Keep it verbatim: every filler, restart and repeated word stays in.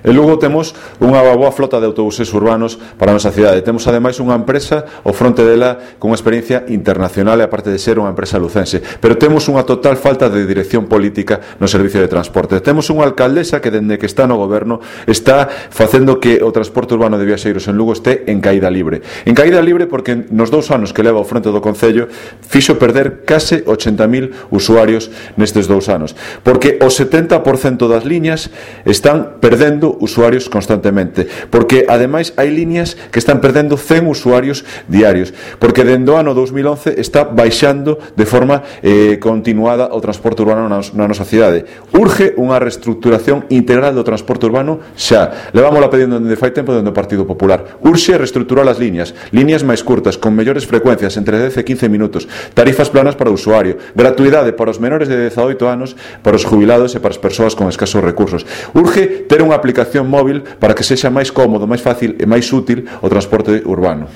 En Lugo temos unha boa flota de autobuses urbanos para a nosa cidade. Temos ademais unha empresa ao fronte dela con unha experiencia internacional e aparte de ser unha empresa lucense, pero temos unha total falta de dirección política no servicio de transporte. Temos unha alcaldesa que dende que está no goberno está facendo que o transporte urbano de viaxeiros en Lugo este en caída libre. En caída libre porque nos dous anos que leva ao fronte do Concello fixo perder case ochenta mil usuarios nestes dous anos, porque o setenta por cento das liñas están perdendo usuarios constantemente, porque ademais hai liñas que están perdendo cen usuarios diarios, porque dende o ano dous mil once está baixando de forma eh, continuada o transporte urbano na, na nosa cidade. Urge unha reestructuración integral do transporte urbano xa. Levámola pedindo dende fai tempo dende o Partido Popular. Urxe reestructurar as liñas, liñas máis curtas, con mellores frecuencias, entre dez e quince minutos, tarifas planas para o usuario, gratuidade para os menores de dezaoito anos, para os jubilados e para as persoas con escasos recursos. Urge ter unha aplicación móvil para que sexa máis cómodo, máis fácil e máis útil o transporte urbano.